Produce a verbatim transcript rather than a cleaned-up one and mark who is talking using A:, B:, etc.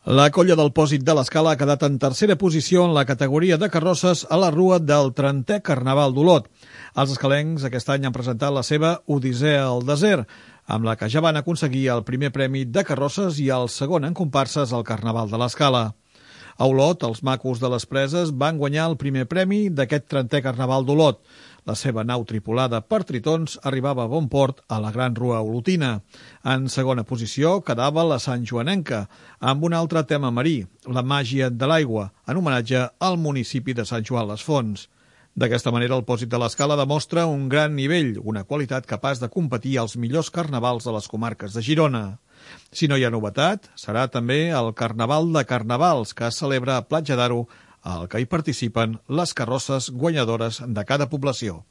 A: La colla del Pòsit de l'Escala ha quedat en tercera posició en la categoria de carrosses a la rua del trentè Carnaval d'Olot. Els escalencs aquest any han presentat la seva Odissea al desert, amb la que ja van aconseguir el primer premi de carrosses i el segon en comparses al Carnaval de l'Escala. A Olot, els macos de les Preses van guanyar el primer premi d'aquest trentè Carnaval d'Olot. La seva nau tripulada per tritons arribava a bon port a la Gran Rua Olotina. En segona posició quedava la Sant Joanenca, amb un altre tema marí, la màgia de l'aigua, en homenatge al municipi de Sant Joan les Fonts. D'aquesta manera, el Pòsit de l'Escala demostra un gran nivell, una qualitat capaç de competir als millors carnavals de les comarques de Girona. Si no hi ha novetat, serà també el Carnaval de Carnavals, que es celebra a Platja d'Aro, al que hi participen les carrosses guanyadores de cada població.